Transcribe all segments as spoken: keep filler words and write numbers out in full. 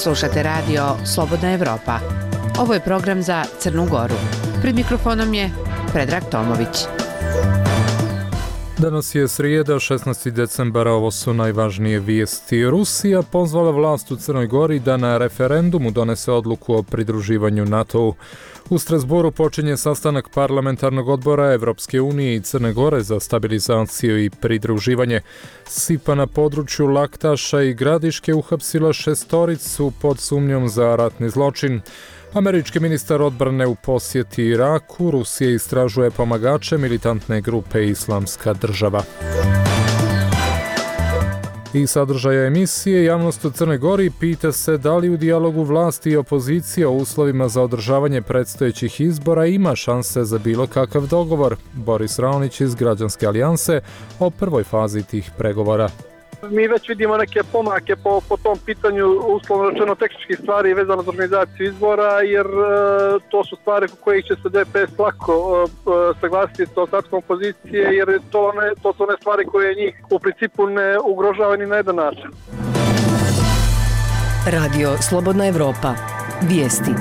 Slušate radio Slobodna Evropa. Ovo je program za Crnu Goru. Pred mikrofonom je Predrag Tomović. Danas je srijeda, šesnaesti decembar, ovo su najvažnije vijesti. Rusija pozvala vlast u Crnoj Gori da na referendumu donese odluku o pridruživanju NATO-u. U Strasboru počinje sastanak parlamentarnog odbora Evropske unije i Crne Gore za stabilizaciju i pridruživanje. Sipa na području Laktaša i Gradiške uhapsila šestoricu pod sumnjom za ratni zločin. Američki ministar odbrane u posjeti Iraku, Rusija istražuje pomagače militantne grupe Islamska država. I sadržaja emisije, javnost u Crnoj Gori pita se da li u dijalogu vlasti i opozicije o uslovima za održavanje predstojećih izbora ima šanse za bilo kakav dogovor. Boris Raonić iz Građanske alijanse o prvoj fazi tih pregovora. Mi već vidimo neke pomake po, po tom pitanju, uslovno rečeno tehničkih stvari vezano za organizaciju izbora, jer e, to su stvari u kojih će se D P S lako e, saglasiti sa ostatkom opozicije, jer to, ne, to su one stvari koje njih u principu ne ugrožavaju ni na jedan način. Radio Slobodna Evropa. Vijesti.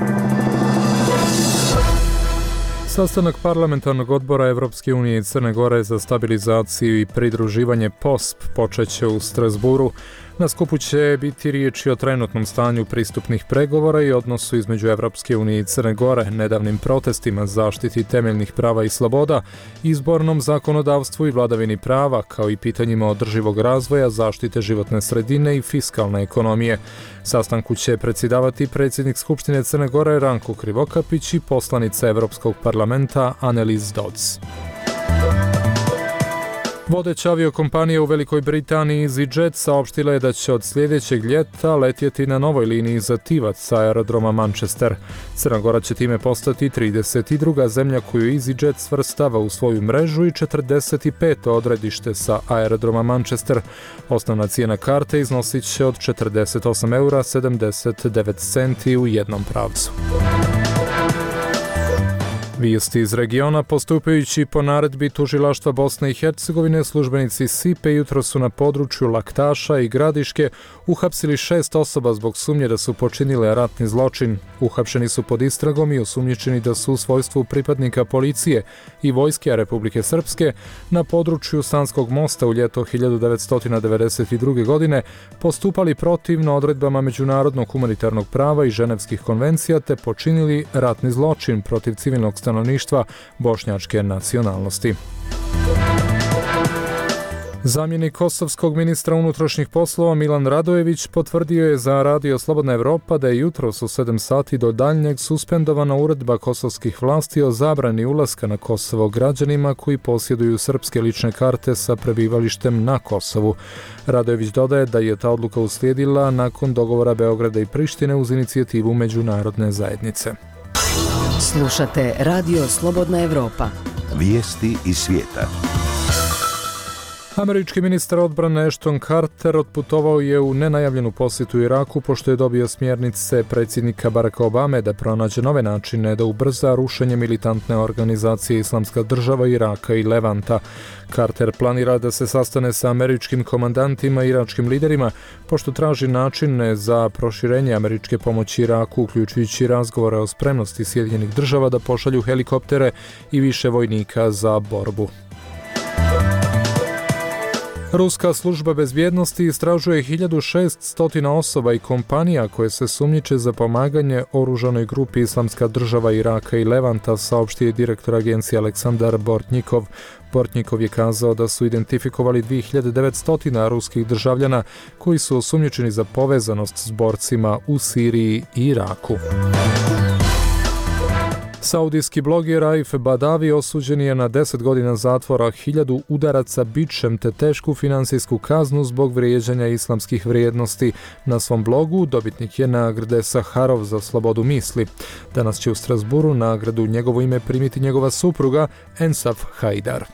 Sastanak parlamentarnog odbora Evropske unije i Crne Gore za stabilizaciju i pridruživanje P O S P počeće u Strasburu. Na skupu će biti riječi o trenutnom stanju pristupnih pregovora i odnosu između Evropske unije i Crne Gore, nedavnim protestima, zaštiti temeljnih prava i sloboda, izbornom zakonodavstvu i vladavini prava, kao i pitanjima održivog razvoja, zaštite životne sredine i fiskalne ekonomije. Sastanku će predsjedavati predsjednik Skupštine Crne Gore Ranko Krivokapić i poslanica Evropskog parlamenta Annelies Dodds. Vodeća aviokompanija u Velikoj Britaniji EasyJet saopštila je da će od sljedećeg ljeta letjeti na novoj liniji za Tivac sa aerodroma Manchester. Crna Gora će time postati trideset druga zemlja koju EasyJet svrstava u svoju mrežu i četrdeset peto odredište sa aerodroma Manchester. Osnovna cijena karte iznosit će od četrdeset osam eura sedamdeset devet centi u jednom pravcu. Vijesti iz regiona. Postupajući po naredbi tužilaštva Bosne i Hercegovine, službenici Sipe jutro su na području Laktaša i Gradiške uhapsili šest osoba zbog sumnje da su počinile ratni zločin. Uhapšeni su pod istragom i osumnjičeni da su u svojstvu pripadnika policije i vojske Republike Srpske na području Sanskog mosta u ljeto hiljadu devetsto devedeset druge. godine postupali protivno odredbama međunarodnog humanitarnog prava i ženevskih konvencija te počinili ratni zločin protiv civilnog stanovništva bošnjačke nacionalnosti. Zamjenik kosovskog ministra unutrašnjih poslova Milan Radojević potvrdio je za Radio Slobodna Evropa da je jutros u sedam sati do daljnjeg suspendovana uredba kosovskih vlasti o zabrani ulaska na Kosovo građanima koji posjeduju srpske lične karte sa prebivalištem na Kosovu. Radojević dodaje da je ta odluka uslijedila nakon dogovora Beograda i Prištine uz inicijativu međunarodne zajednice. Slušate Radio Slobodna Evropa. Vijesti iz svijeta. Američki ministar odbrane Ashton Carter otputovao je u nenajavljenu posjetu Iraku pošto je dobio smjernice predsjednika Baracka Obame da pronađe nove načine da ubrza rušenje militantne organizacije Islamska država Iraka i Levanta. Carter planira da se sastane sa američkim komandantima i iračkim liderima pošto traži načine za proširenje američke pomoći Iraku, uključujući razgovore o spremnosti Sjedinjenih država da pošalju helikoptere i više vojnika za borbu. Ruska služba bezbjednosti istražuje hiljadu šeststo osoba i kompanija koje se sumnjiče za pomaganje oružanoj grupi Islamska država Iraka i Levanta, saopštio je direktor agencije Aleksandar Bortnikov. Bortnikov je kazao da su identifikovali dvije hiljade devetsto ruskih državljana koji su osumnjičeni za povezanost s borcima u Siriji i Iraku. Saudijski bloger Raif Badavi osuđen je na deset godina zatvora, hiljadu udaraca bičem te tešku finansijsku kaznu zbog vrijeđanja islamskih vrijednosti. Na svom blogu dobitnik je nagrade Saharov za slobodu misli. Danas će u Strasburu nagradu u njegovo ime primiti njegova supruga Ensaf Haidar.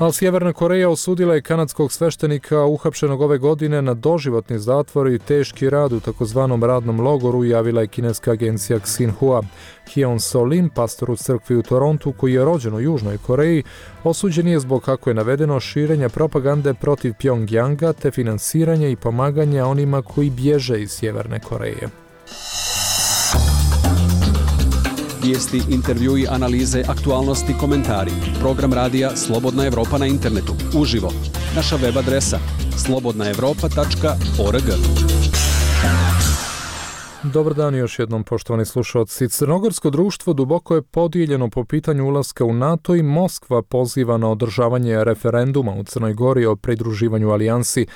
A Sjeverna Koreja osudila je kanadskog sveštenika uhapšenog ove godine na doživotni zatvor i teški rad u takozvanom radnom logoru, javila je kineska agencija Xinhua. Hyun So-lin, pastor u crkvi u Torontu, koji je rođen u Južnoj Koreji, osuđen je zbog, kako je navedeno, širenja propagande protiv Pjongjanga te finansiranja i pomaganja onima koji bježe iz Sjeverne Koreje. Vijesti, intervjui, analize, aktualnosti, komentari. Program radija Slobodna Evropa na internetu. Uživo. Naša web adresa slobodna evropa tačka org. Dobar dan još jednom, poštovani slušalci. Crnogorsko društvo duboko je podijeljeno po pitanju ulaska u NATO i Moskva poziva na održavanje referenduma u Crnoj Gori o pridruživanju alijansi.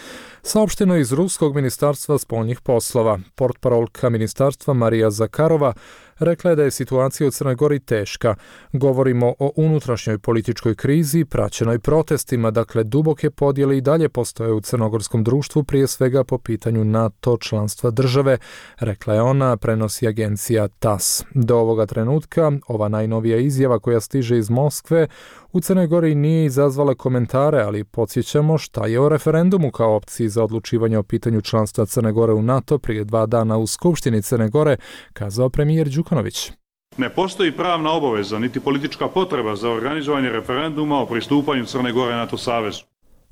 Saopšteno je iz Ruskog ministarstva spoljnih poslova. Portparolka ministarstva Marija Zakarova rekla je da je situacija u Crnoj Gori teška. Govorimo o unutrašnjoj političkoj krizi, praćenoj protestima, dakle duboke podjele i dalje postoje u crnogorskom društvu, prije svega po pitanju NATO članstva države, rekla je ona, prenosi agencija T A S. Do ovoga trenutka, ova najnovija izjava koja stiže iz Moskve u Crnoj Gori nije izazvala komentare, ali podsjećamo šta je o referendumu kao opciji za odlučivanje o pitanju članstva Crne Gore u NATO prije dva dana u Skupštini Crne Gore kazao premijer Đukanović. Ne postoji pravna obaveza niti politička potreba za organizovanje referenduma o pristupanju Crne Gore NATO savezu.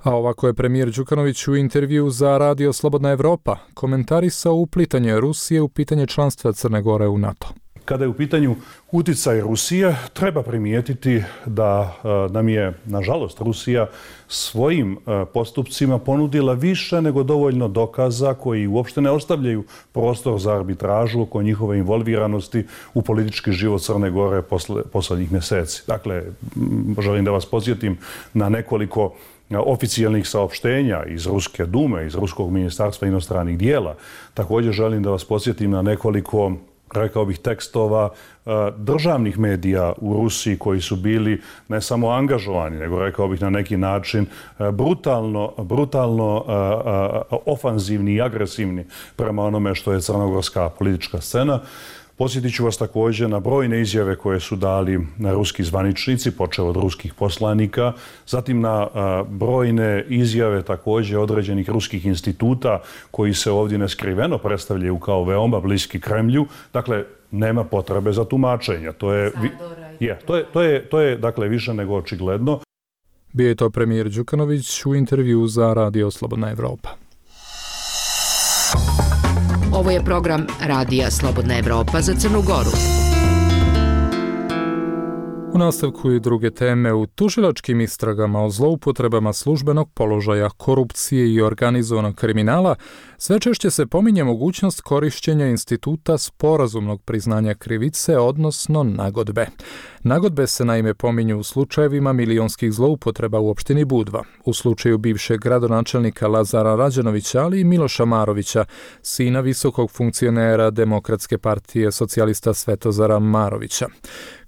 A ovako je premijer Đukanović u intervju za radio Slobodna Evropa komentarisao uplitanje Rusije u pitanje članstva Crne Gore u NATO. Kada je u pitanju utjecaj Rusije, treba primijetiti da nam je, nažalost, Rusija svojim postupcima ponudila više nego dovoljno dokaza koji uopšte ne ostavljaju prostor za arbitražu oko njihove involviranosti u politički život Crne Gore posle, posljednjih mjeseci. Dakle, želim da vas podsjetim na nekoliko oficijalnih saopštenja iz Ruske dume, iz Ruskog ministarstva inostranih dijela. Također želim da vas podsjetim na nekoliko, rekao bih, tekstova državnih medija u Rusiji koji su bili ne samo angažovani, nego rekao bih na neki način brutalno, brutalno ofanzivni i agresivni prema onome što je crnogorska politička scena. Posjetit ću vas također na brojne izjave koje su dali ruski zvaničnici, počeo od ruskih poslanika, zatim na brojne izjave također određenih ruskih instituta koji se ovdje neskriveno predstavljaju kao veoma bliski Kremlju. Dakle, nema potrebe za tumačenja. To je, je, to je, to je, to je dakle, više nego očigledno. Bio je to premijer Đukanović u intervju za radio Slobodna Evropa. Ovo je program radija Slobodna Evropa za Crnu Goru. U nastavku i druge teme. U tužilačkim istragama o zloupotrebama službenog položaja, korupcije i organizovanog kriminala sve češće se pominje mogućnost korišćenja instituta sporazumnog priznanja krivice, odnosno nagodbe. Nagodbe se naime pominju u slučajevima milionskih zloupotreba u opštini Budva, u slučaju bivšeg gradonačelnika Lazara Rađanovića, ali i Miloša Marovića, sina visokog funkcionera Demokratske partije socijalista Svetozara Marovića.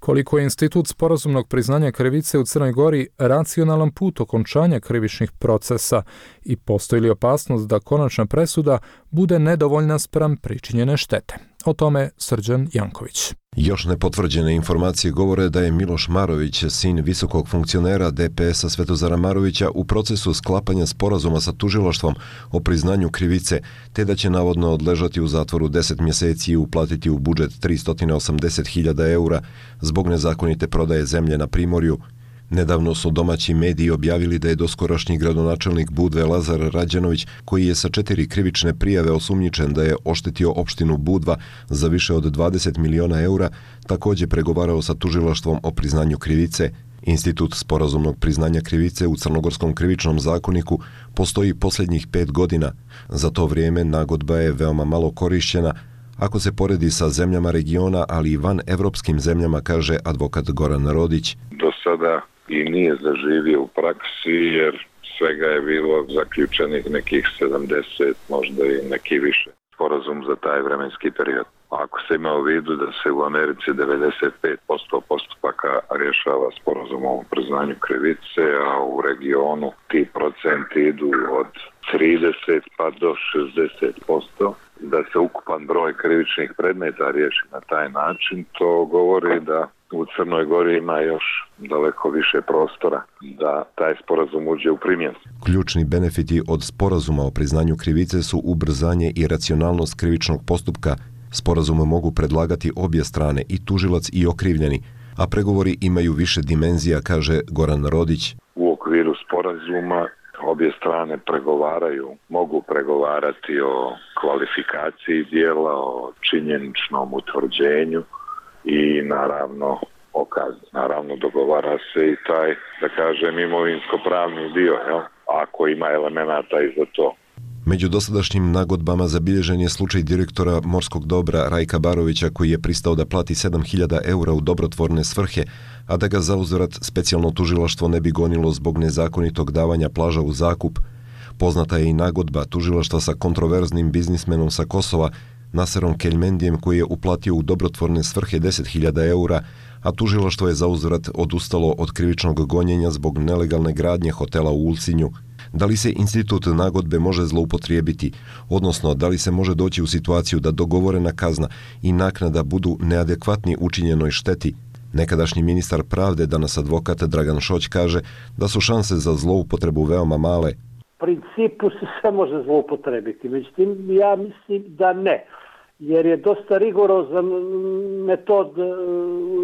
Koliko je institut sporazumnog priznanja krivice u Crnoj Gori racionalan put okončanja krivičnih procesa i postoji li opasnost da konačna presuda bude nedovoljna spram pričinjene štete? O tome Srđan Janković. Još nepotvrđene informacije govore da je Miloš Marović, sin visokog funkcionera D P S-a Svetozara Marovića, u procesu sklapanja sporazuma sa tužilaštvom o priznanju krivice, te da će navodno odležati u zatvoru deset mjeseci i uplatiti u budžet tristo osamdeset hiljada eura zbog nezakonite prodaje zemlje na Primorju. Nedavno su domaći mediji objavili da je doskorašnji gradonačelnik Budve Lazar Rađanović, koji je sa četiri krivične prijave osumnjičen da je oštetio opštinu Budva za više od dvadeset miliona eura, također pregovarao sa tužilaštvom o priznanju krivice. Institut sporazumnog priznanja krivice u Crnogorskom krivičnom zakoniku postoji posljednjih pet godina. Za to vrijeme nagodba je veoma malo korišćena, ako se poredi sa zemljama regiona, ali i van evropskim zemljama, kaže advokat Goran Rodić. Do sada i nije zaživio u praksi, jer svega je bilo zaključenih nekih sedamdeset, možda i neki više sporazum za taj vremenski period. Ako se ima u vidu da se u Americi devedeset pet posto postupaka rješava sporazumom o priznanju krivice, a u regionu ti procenti idu od trideset pa do šezdeset posto, da se ukupan broj krivičnih predmeta riješi na taj način, to govori da u Crnoj Gori ima još daleko više prostora da taj sporazum uđe u primjenu. Ključni benefiti od sporazuma o priznanju krivice su ubrzanje i racionalnost krivičnog postupka. Sporazume mogu predlagati obje strane, i tužilac i okrivljeni, a pregovori imaju više dimenzija, kaže Goran Rodić. U okviru sporazuma obje strane pregovaraju, mogu pregovarati o kvalifikaciji dijela, o činjeničnom utvrđenju i naravno o kazni. Naravno dogovara se i taj, da kažem, imovinsko-pravni dio, jel? Ako ima elemenata i za to. Među dosadašnjim nagodbama zabilježen je slučaj direktora morskog dobra Rajka Barovića, koji je pristao da plati sedam hiljada eura u dobrotvorne svrhe, a da ga zauzvrat specijalno tužilaštvo ne bi gonilo zbog nezakonitog davanja plaža u zakup. Poznata je i nagodba tužilaštva sa kontroverznim biznismenom sa Kosova, Naserom Keljmendijem, koji je uplatio u dobrotvorne svrhe deset hiljada eura, a tužilaštvo je zauzvrat odustalo od krivičnog gonjenja zbog nelegalne gradnje hotela u Ulcinju. Da li se institut nagodbe može zloupotrijebiti, odnosno da li se može doći u situaciju da dogovorena kazna i naknada budu neadekvatni učinjenoj šteti? Nekadašnji ministar pravde, danas advokat Dragan Šoć, kaže da su šanse za zloupotrebu veoma male. U principu se sve može zloupotrebiti, međutim ja mislim da ne, jer je dosta rigorozan metod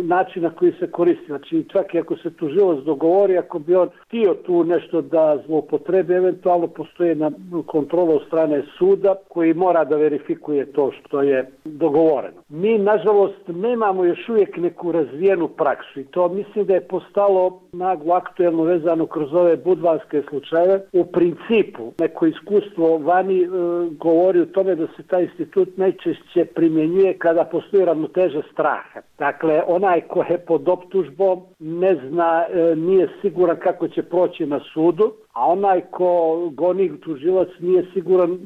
načina koji se koristi. Znači čak i ako se tužilac dogovori, ako bi on htio tu nešto da zloupotrebi, eventualno postoji na kontrola od strane suda koji mora da verifikuje to što je dogovoreno. Mi nažalost nemamo još uvijek neku razvijenu praksu i to mislim da je postalo naglo aktuelno vezano kroz ove budvanske slučajeve. U principu neko iskustvo vani e, govori o tome da se taj institut najčešće primjenjuje kada postoji ravnoteža straha. Dakle, onaj ko je pod optužbom ne zna, e, nije siguran kako će proći na sudu, a onaj ko goni tužilac nije siguran e,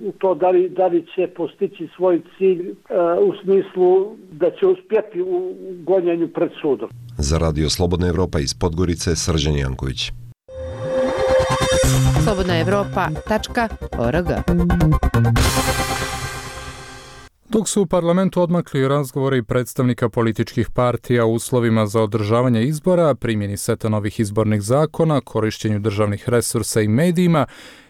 u to da li, da li će postići svoj cilj e, u smislu da će uspjeti u gonjenju pred sudom. Za Radio Slobodna Evropa iz Podgorice, Srđan Janković. slobodna evropa tačka org. Dok su u parlamentu odmakli razgovori predstavnika političkih partija u uslovima za održavanje izbora, primjeni seta novih izbornih zakona, korišćenju državnih resursa i medijima,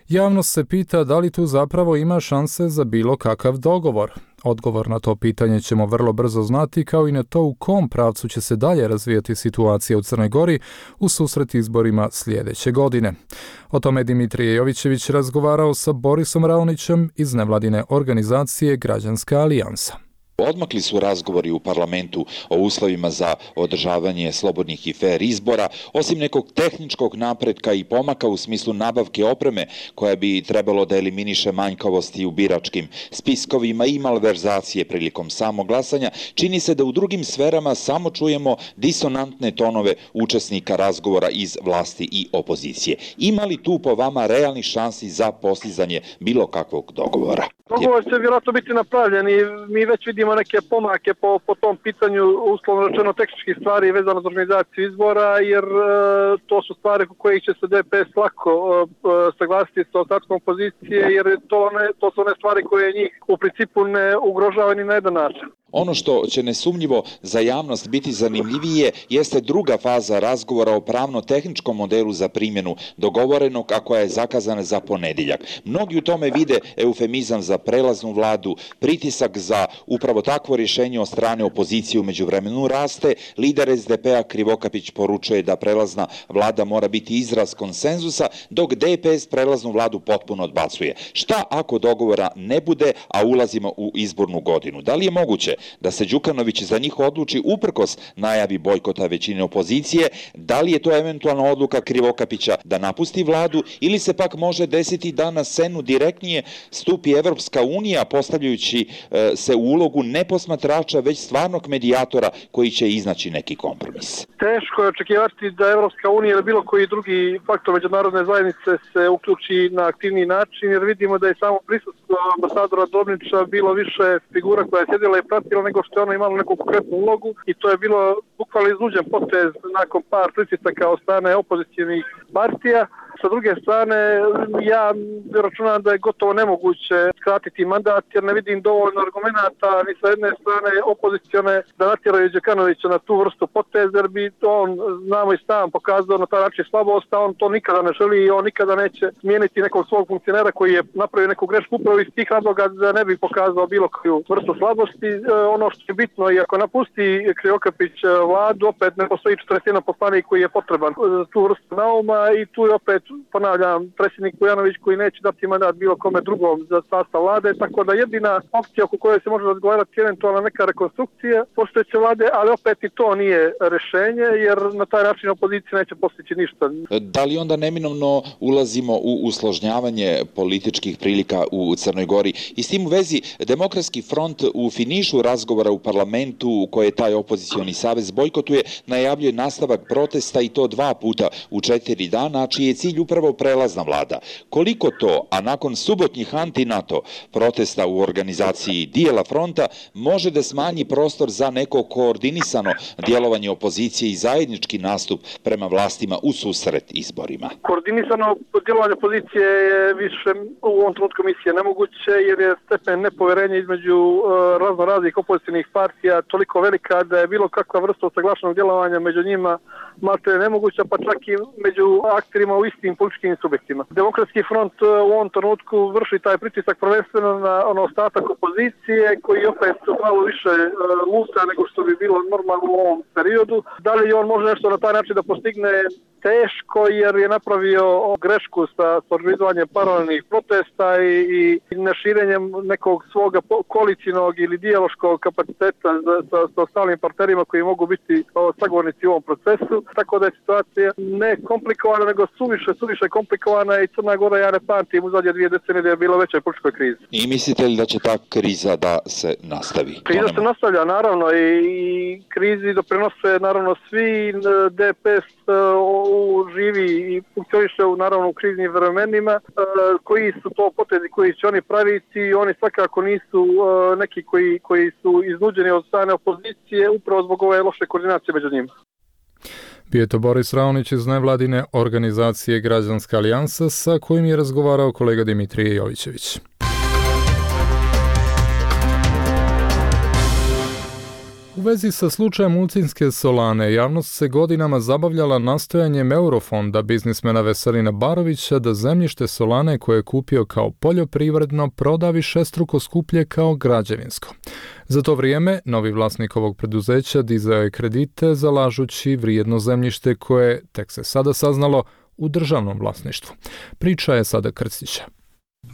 javnost se pita da li tu zapravo ima šanse za bilo kakav dogovor. Odgovor na to pitanje ćemo vrlo brzo znati, kao i na to u kom pravcu će se dalje razvijati situacija u Crnoj Gori u susret izborima sljedeće godine. O tome je Dimitrije Jovićević razgovarao sa Borisom Raonićem iz nevladine organizacije Građanska alijansa. Odmakli su razgovori u parlamentu o uslovima za održavanje slobodnih i fer izbora, osim nekog tehničkog napretka i pomaka u smislu nabavke opreme koja bi trebalo da eliminiše manjkavosti u biračkim spiskovima i malverzacije prilikom samog glasanja. Čini se da u drugim sferama samo čujemo disonantne tonove učesnika razgovora iz vlasti i opozicije. Ima li tu po vama realnih šansi za postizanje bilo kakvog dogovora? Dogovor će vjerojatno biti napravljen i mi već vidimo neke pomake po, po tom pitanju, uslovno rečeno tehničkih stvari vezano za organizaciju izbora, jer e, to su stvari u kojih će se D P S lako e, saglasiti sa ostatkom opozicije, jer to, ne, to su one stvari koje njih u principu ne ugrožavaju ni na jedan način. Ono što će nesumnjivo za javnost biti zanimljivije jeste druga faza razgovora o pravno-tehničkom modelu za primjenu dogovorenog, a koja je zakazana za ponedjeljak. Mnogi u tome vide eufemizam za prelaznu vladu, pritisak za upravo takvo rješenje od strane opozicije u međuvremenu raste. Lider S D P-a Krivokapić poručuje da prelazna vlada mora biti izraz konsenzusa, dok D P S prelaznu vladu potpuno odbacuje. Šta ako dogovora ne bude, a ulazimo u izbornu godinu? Da li je moguće da se Đukanović za njih odluči uprkos najavi bojkota većine opozicije? Da li je to eventualna odluka Krivokapića da napusti vladu, ili se pak može desiti da na scenu direktnije stupi Evropska unija, postavljajući e, se u ulogu ne posmatrača, već stvarnog medijatora koji će iznaći neki kompromis? Teško je očekivati da Evropska unija ili bilo koji drugi faktor međunarodne zajednice se uključi na aktivniji način, jer vidimo da je samo prisustvo ambasadora Dobnića bilo više figura koja je sjedila i pratila nego što je ona imala neku konkretnu ulogu, i to je bilo bukvalno iznuđen potez nakon par pritisaka od strane opozicijnih partija. sa druge strane, ja računam da je gotovo nemoguće skratiti mandat, jer ne vidim dovoljno argumenata ni sa jedne strane opozicione da natjeraju Đukanovića na tu vrstu poteza, jer bi on, znamo i sam, pokazao na taj način slabost, a on to nikada ne želi i on nikada neće smijeniti nekog svog funkcionera koji je napravio neku grešku upravo iz tih razloga da ne bi pokazao bilo koju vrstu slabosti. Ono što je bitno, i ako napusti Krivokapić vladu, opet ne postoji četrdeset jedan poslanik koji je potreban za tu vrstu nauma i tu je opet, ponavljam, predsjednik Vujanović koji neće dati mandat bilo kome drugom za sastav vlade, tako da jedina opcija oko koje se može razgovarati je eventualna neka rekonstrukcija postojeće vlade, ali opet i to nije rešenje, jer na taj način opozicija neće postići ništa. Da li onda neminovno ulazimo u usložnjavanje političkih prilika u Crnoj Gori? I s tim u vezi, Demokratski front u finišu razgovora u parlamentu koje taj opozicioni savez bojkotuje, najavljuje nastavak protesta i to dva puta u četiri dana, čiji je cilj upravo prelazna vlada. Koliko to, a nakon subotnjih anti-NATO protesta u organizaciji dijela fronta, može da smanji prostor za neko koordinisano djelovanje opozicije i zajednički nastup prema vlastima u susret izborima? Koordinisano djelovanje opozicije je više u ovom trenutku misije nemoguće, jer je stepen nepoverenja između uh, razno raznih opozicijnih partija toliko velika da je bilo kakva vrsta usaglašenog djelovanja među njima malte nemoguća, pa čak i među akterima u istim političkim subjektima. Demokratski front uh, u ovom trenutku vrši taj pritisak prvenstveno na ono ostatak opozicije koji opet malo više uh, luta nego što bi bilo normalno u ovom periodu. Da li on može nešto na taj način da postigne? Teško, jer je napravio grešku sa organizovanjem paralelnih protesta i, i neširenjem nekog svoga koalicijnog ili dijaloškog kapaciteta sa, sa ostalim partnerima koji mogu biti o, sagovornici u ovom procesu. Tako da je situacija ne komplikovana, nego suviše, suviše komplikovana i Crna Gora, ja ne pamtim u zadnje dvije decenije da je bila veća političkoj krizi. I mislite li da će ta kriza da se nastavi? Kriza se nastavlja, naravno, i, i krizi doprinose naravno svi. D P S živi i funkcioniše u, naravno, u kriznim vremenima. Koji su to potezi koji će oni praviti? Oni svakako nisu neki koji, koji su iznuđeni od strane opozicije upravo zbog ove loše koordinacije među njima. Bio je to Boris Raonić iz nevladine organizacije Građanska alijansa sa kojim je razgovarao kolega Dimitrije Jovićević. U vezi sa slučajem Ulcinske solane, javnost se godinama zabavljala nastojanjem Eurofonda biznismena Veselina Barovića da zemljište solane koje je kupio kao poljoprivredno proda višestruko skuplje kao građevinsko. Za to vrijeme, novi vlasnik ovog preduzeća dizao je kredite zalažući vrijedno zemljište koje, tek se sada saznalo, u državnom vlasništvu. Priča je Sada Krstića.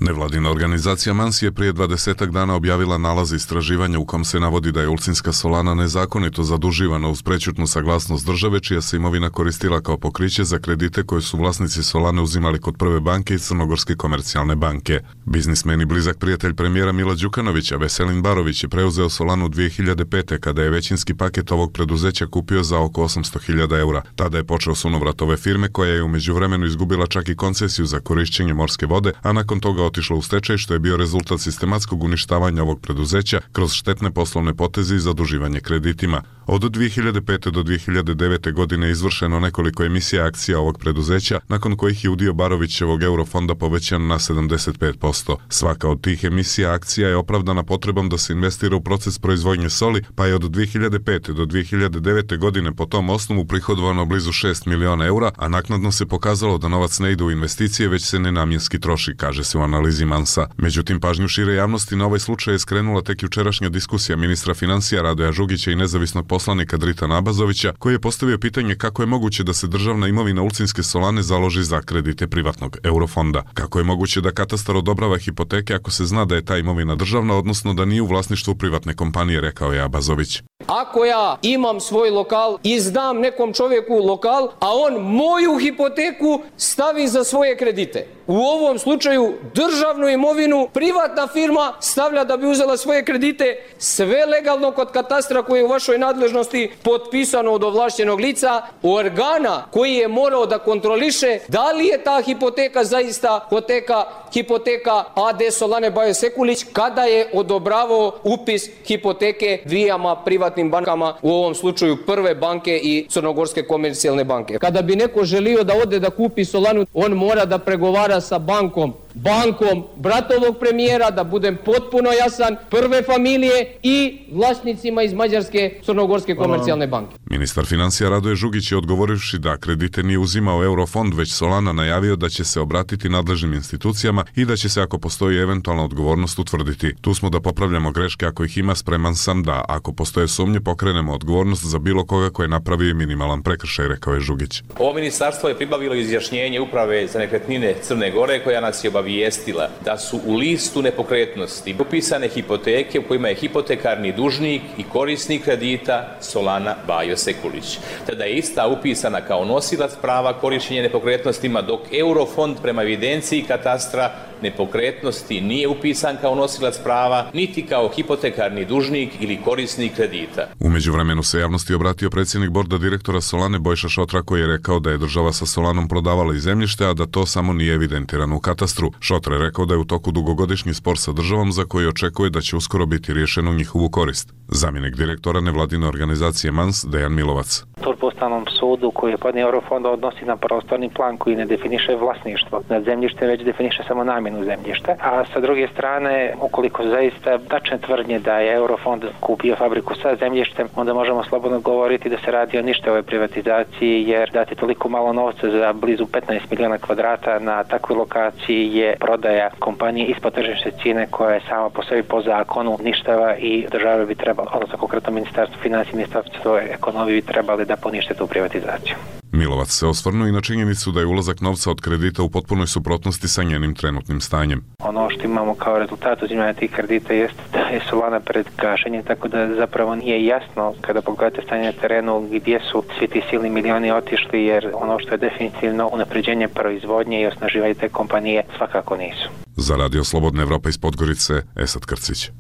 Nevladina organizacija Mansi je prije dvadesetak dana objavila nalaz istraživanja u kom se navodi da je Ulcinska solana nezakonito zaduživana uz prećutnu saglasnost države, čija se imovina koristila kao pokriće za kredite koje su vlasnici solane uzimali kod Prve banke i Crnogorske komercijalne banke. Biznismen i blizak prijatelj premijera Mila Đukanovića, Veselin Barović, je preuzeo solanu dvije hiljade pete. kada je većinski paket ovog preduzeća kupio za oko osamsto hiljada eura. Tada je počeo sunovrat ove firme, koja je u međuvremenu izgubila čak i koncesiju za korišćenje morske vode, a nakon toga otišla u stečaj, što je bio rezultat sistematskog uništavanja ovog preduzeća kroz štetne poslovne poteze i zaduživanje kreditima. Od dvije hiljade pete do dvije hiljade devete. godine izvršeno nekoliko emisija akcija ovog preduzeća, nakon kojih je udio Barovićevog Eurofonda povećan na sedamdeset pet posto. Svaka od tih emisija akcija je opravdana potrebom da se investira u proces proizvodnje soli, pa je od dvije hiljade pete. do dvije hiljade devete. godine po tom osnovu prihodovano blizu šest miliona eura, a naknadno se pokazalo da novac ne ide u investicije, već se nenamjenski troši, kaže se u analizi Mansa. Međutim, pažnju šire javnosti na ovaj slučaj je skrenula tek jučerašnja diskusija ministra financija Radoja Žugića i nezavisnog poslanika Dritana Abazovića, koji je postavio pitanje kako je moguće da se državna imovina Ulcinske solane založi za kredite privatnog Eurofonda. Kako je moguće da katastar odobrava hipoteke ako se zna da je ta imovina državna, odnosno da nije u vlasništvu privatne kompanije, rekao je Abazović. Ako ja imam svoj lokal i zdam nekom čovjeku lokal, a on moju hipoteku stavi za svoje kredite, U ovom slučaju državnu imovinu privatna firma stavlja da bi uzela svoje kredite, sve legalno kod katastra koji je u vašoj nadležnosti, potpisano od ovlašćenog lica, organa koji je morao da kontroliše da li je ta hipoteka zaista hipoteka, hipoteka A D Solane Bajo Sekulić kada je odobravao upis hipoteke dvijama privatnim bankama, u ovom slučaju Prve banke i Crnogorske komercijalne banke. Kada bi neko želio da ode da kupi Solanu, on mora da pregovara sa bankom, bankom bratovog premijera, da budem potpuno jasan, Prve familije i vlasnicima iz Mađarske Crnogorske komercijalne banke. Ministar financija Radoje Žugić je odgovorivši da kredite nije uzimao Eurofond, već Solana najavio da će se obratiti nadležnim institucijama i da će se, ako postoji eventualna odgovornost, utvrditi. Tu smo da popravljamo greške ako ih ima, spreman sam da, ako postoje sumnje, pokrenemo odgovornost za bilo koga koji je napravio minimalan prekršaj, rekao je Žugić. Ovo ministarstvo je pribavilo izjašnjenje Uprave za nekretnine Crne Gore koja nas je obavijestila da su u listu nepokretnosti upisane hipoteke u kojima je hipotekarni dužnik i korisnik kredita Solana Bajo Sekulić. Tada je ista upisana kao nosilac prava korištenja nepokretnostima, dok Eurofond prema evidenciji katastra nepokretnosti nije upisan kao nosilac prava, niti kao hipotekarni dužnik ili korisnik kredita. U međuvremenu se javnosti obratio predsjednik borda direktora Solane Bojša Šotra, koji je rekao da je država sa Solanom prodavala i zemljište, a da to samo nije evidentirano u katastru. Šotra je rekao da je u toku dugogodišnji spor sa državom za koji očekuje da će uskoro biti riješen u njihovu korist. Zamjenik direktora nevladine organizacije Mans, Dejan Milovac. Tužba Ustavnom sudu koji je podnio Eurofond odnosi na prostorni plan koji ne definiše vlasništvo nad zemljištem, već definiše samo namjenu zemljišta. A sa druge strane, ukoliko zaista tačne tvrdnje da je Eurofond kupio fabriku sa zemljištem, onda možemo slobodno govoriti da se radi o ništavoj privatizaciji, jer dati toliko malo novca za blizu petnaest miliona kvadrata na takvoj lokaciji je prodaja kompanije ispod tržišne cijene koja je sama po sebi po zakonu ništava i država bi trebala, odnosno konkretno Ministarstvo financija i Ministarstvo ekonomije bi trebali da ponište tu privatizaciju. Milovac se osvrnuo i na činjenicu da je ulazak novca od kredita u potpunoj suprotnosti sa njenim trenutnim stanjem. Ono što imamo kao rezultat uzimanja tih kredita jeste da je Solana pred gašenjem, tako da zapravo nije jasno kada pogledate stanje na terenu gdje su svi ti silni milioni otišli, jer ono što je definitivno unapređenje proizvodnje i osnaživanje te kompanije svakako nisu. Za Radio Slobodna Evropa iz Podgorice, Esad Krcić.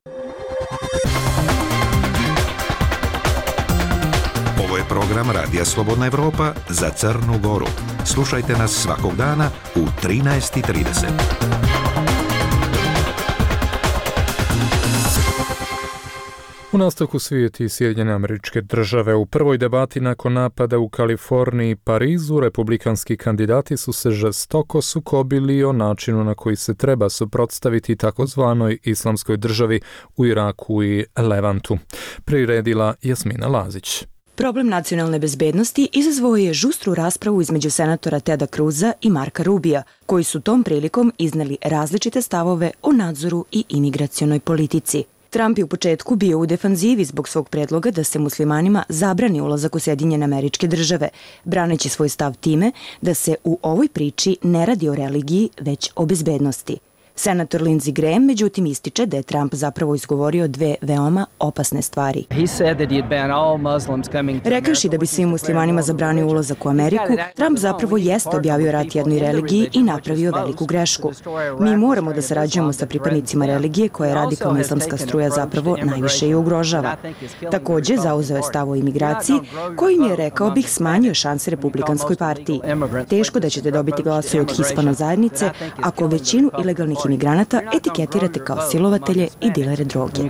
Ovo je program Radija Slobodna Evropa za Crnu Goru. Slušajte nas svakog dana u trinaest i trideset. U nastavku svijet i Sjedinjene Američke Države. U prvoj debati nakon napada u Kaliforniji i Parizu, republikanski kandidati su se žestoko sukobili o načinu na koji se treba suprotstaviti takozvanoj islamskoj državi u Iraku i Levantu. Priredila Jasmina Lazić. Problem nacionalne bezbednosti izazvao je žustru raspravu između senatora Teda Cruza i Marka Rubija, koji su tom prilikom izneli različite stavove o nadzoru i imigracionoj politici. Trump je u početku bio u defanzivi zbog svog predloga da se muslimanima zabrani ulazak u Sjedinjene Američke Države, braneći svoj stav time da se u ovoj priči ne radi o religiji, već o bezbednosti. Senator Lindsey Graham međutim ističe da je Trump zapravo izgovorio dve veoma opasne stvari. Rekavši da bi svim muslimanima zabranio ulazak u Ameriku, Trump zapravo jeste objavio rat jednoj religiji i napravio veliku grešku. Mi moramo da sarađujemo sa pripadnicima religije koja radikalna islamska struja zapravo najviše i ugrožava. Takođe, zauzeo je stav o imigraciji, kojim je, rekao bih, smanjio šanse Republikanskoj partiji. Teško da ćete dobiti glasove od hispano zajednice ako većinu ilegalnih imigranata etiketirate kao silovatelje i dilere droge.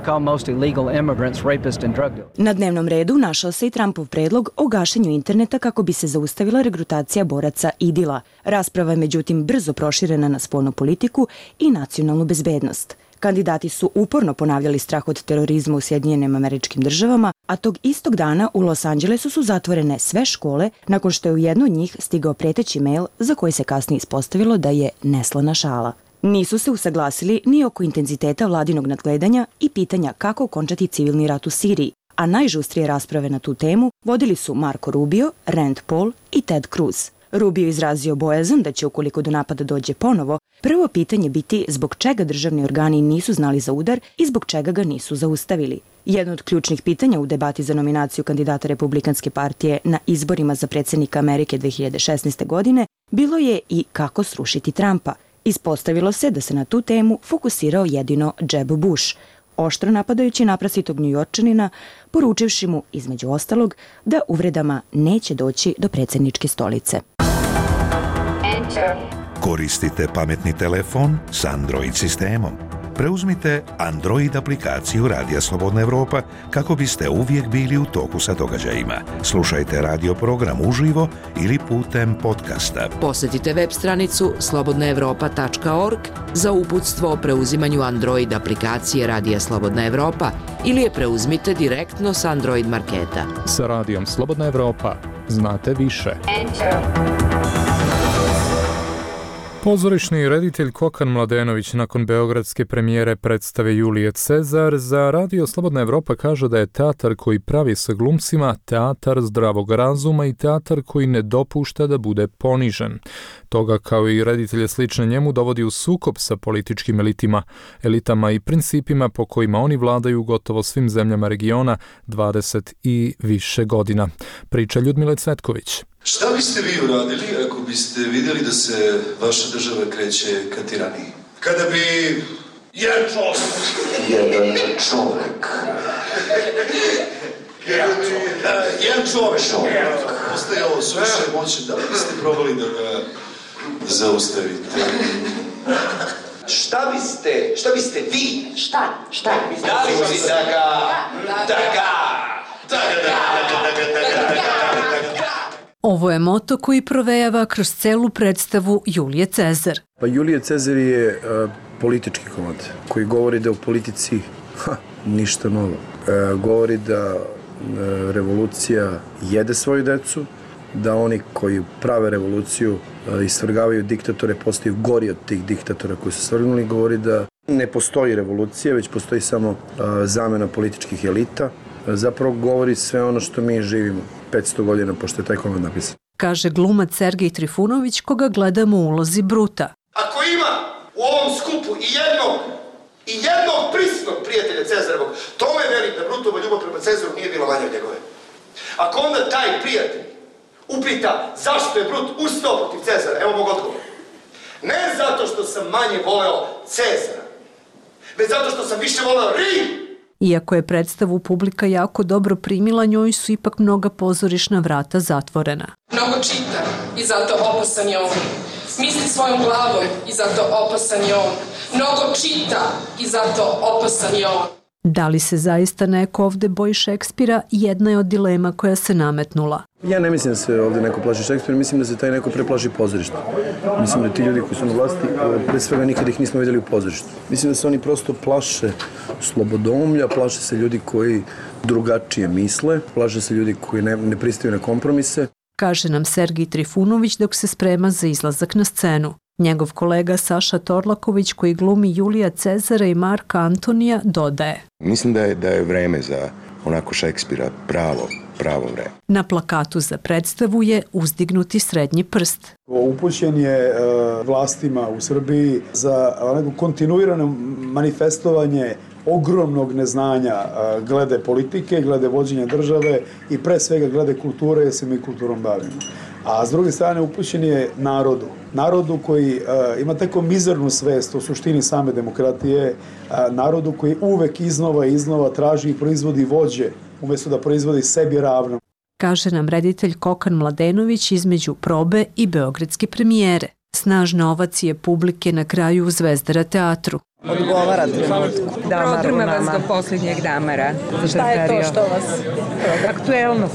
Na dnevnom redu našao se i Trumpov predlog o gašenju interneta kako bi se zaustavila regrutacija boraca IDIL-a. Rasprava je međutim brzo proširena na spoljnu politiku i nacionalnu bezbednost. Kandidati su uporno ponavljali strah od terorizma u Sjedinjenim Američkim Državama, a tog istog dana u Los Angelesu su zatvorene sve škole nakon što je u jednu od njih stigao preteći mail za koji se kasnije ispostavilo da je neslana šala. Nisu se usaglasili ni oko intenziteta vladinog nadgledanja i pitanja kako okončati civilni rat u Siriji, a najžustrije rasprave na tu temu vodili su Marco Rubio, Rand Paul i Ted Cruz. Rubio izrazio bojazan da će, ukoliko do napada dođe ponovo, prvo pitanje biti zbog čega državni organi nisu znali za udar i zbog čega ga nisu zaustavili. Jedno od ključnih pitanja u debati za nominaciju kandidata Republikanske partije na izborima za predsjednika Amerike dve hiljade šesnaeste. godine bilo je i kako srušiti Trumpa. Ispostavilo se da se na tu temu fokusirao jedino Jeb Bush, oštro napadajući naprasitog Njujorčanina, poručivši mu, između ostalog, da uvredama neće doći do predsjedničke stolice. Koristite pametni telefon s Android sistemom. Preuzmite Android aplikaciju Radija Slobodna Evropa kako biste uvijek bili u toku sa događajima. Slušajte radio program uživo ili putem podcasta. Posjetite web stranicu slobodna evropa tačka org za uputstvo o preuzimanju Android aplikacije Radija Slobodna Evropa ili je preuzmite direktno s Android marketa. Sa Radijom Slobodna Evropa znate više. Pozorišni reditelj Kokan Mladenović nakon beogradske premijere predstave Julije Cezar za Radio Slobodna Evropa kaže da je teatar koji pravi sa glumcima teatar zdravog razuma i teatar koji ne dopušta da bude ponižen. Toga kao i reditelje slične njemu dovodi u sukob sa političkim elitima, elitama i principima po kojima oni vladaju gotovo svim zemljama regiona dvadeset i više godina. Priča Ljudmile Cvetković. Šta biste vi uradili ako biste vidjeli da se vaša država kreće ka tiraniji? Kada bi jedan čovjek, jedan čovjek, jedan čovjek, čovjek, postajao suviše moćan, da li biste probali da ga zaustavite? Šta biste, šta biste vi? Šta? Šta? Da li biste da ga, da ga, da ga, da ga, da ga, da ga, Ovo je moto koji provejava kroz celu predstavu Julije Cezar. Pa Julije Cezar je uh, politički komad koji govori da u politici ha, ništa novo. Uh, govori da uh, revolucija jede svoju decu, da oni koji prave revoluciju uh, i svrgavaju diktatore postaju gori od tih diktatora koji su svrgnuli. Govori da ne postoji revolucija, već postoji samo uh, zamena političkih elita. Uh, zapravo govori sve ono što mi živimo petsto godina pošto je taj komad napisan. Kaže glumac Sergej Trifunović koga gledamo u ulozi Bruta. Ako ima u ovom skupu i jednog, i jednog prisnog prijatelja Cezarovog, to me veli da Brutova ljubav prema Cezaru nije bila manja od njegove. Ako onda taj prijatelj upita zašto je Brut ustao protiv Cezara, evo mog odgovora. Ne zato što sam manje voleo Cezara, već zato što sam više voleo Rim. Iako je predstavu publika jako dobro primila, njoj su ipak mnoga pozorišna vrata zatvorena. Mnogo čita i zato opasan je on. Misli svojom glavom i zato opasan je on. Mnogo čita i zato opasan je on. Da li se zaista neko ovde boji Šekspira, jedna je od dilema koja se nametnula. Ja ne mislim da se ovdje neko plaši Šekspira, mislim da se taj neko preplaši pozorište. Mislim da ti ljudi koji su na vlasti, pre svega nikad ih nismo vidjeli u pozorištu. Mislim da se oni prosto plaše slobodomlja, plaše se ljudi koji drugačije misle, plaše se ljudi koji ne, ne pristaju na kompromise. Kaže nam Sergij Trifunović dok se sprema za izlazak na scenu. Njegov kolega Saša Torlaković koji glumi Julija Cezara i Marka Antonija dodaje. Mislim da je, da je vreme za onako Šekspira pravo, pravo vreme. Na plakatu za predstavu je uzdignuti srednji prst. Upućen je uh, vlastima u Srbiji za neko kontinuirano manifestovanje ogromnog neznanja uh, glede politike, glede vođenja države i pre svega glede kulture, jer se mi kulturom bavimo. A s druge strane upućen je narodu. Narodu koji uh, ima tako mizernu svest o suštini same demokratije, uh, narodu koji uvek iznova i iznova traži i proizvodi vođe, umjesto da proizvodi sebi ravno. Kaže nam reditelj Kokan Mladenović između probe i beogradske premijere. Snažne ovacije publike na kraju u Zvezdara teatru. Odgovara trenutku. Prodrma vas do posljednjeg damara. Šta je to što vas? Aktuelnost,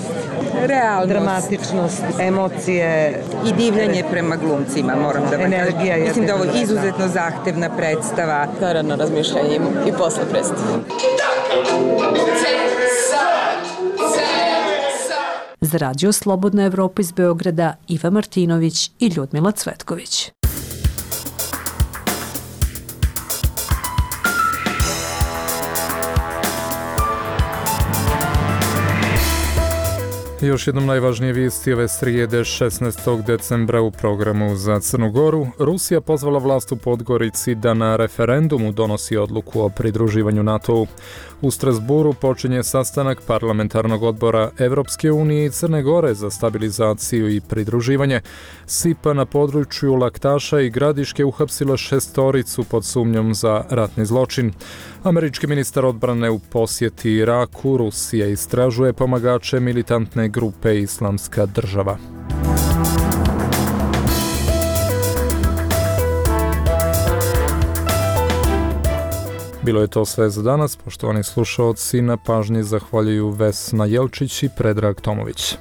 realnost, dramatičnost, emocije. I divljanje prema glumcima, moram da vam kažem. Mislim da je ovo izuzetno zahtevna predstava. Naravno razmišljanje i posle predstave. Za Radio Slobodna Evropa iz Beograda Iva Martinović i Ljudmila Cvetković. Još jednom najvažnije vijesti ove srijede šesnaestog decembra u programu za Crnu Goru. Rusija pozvala vlast u Podgorici da na referendumu donosi odluku o pridruživanju NATO-u. U Strasburu počinje sastanak parlamentarnog odbora Evropske unije i Crne Gore za stabilizaciju i pridruživanje. S I P A na području Laktaša i Gradiške uhapsila šestoricu pod sumnjom za ratni zločin. Američki ministar odbrane u posjeti Iraku, Rusija istražuje pomagače militantne grupe Islamska država. Bilo je to sve za danas. Poštovani slušaoci, na pažnji zahvaljuju Vesna Jelčić i Predrag Tomović.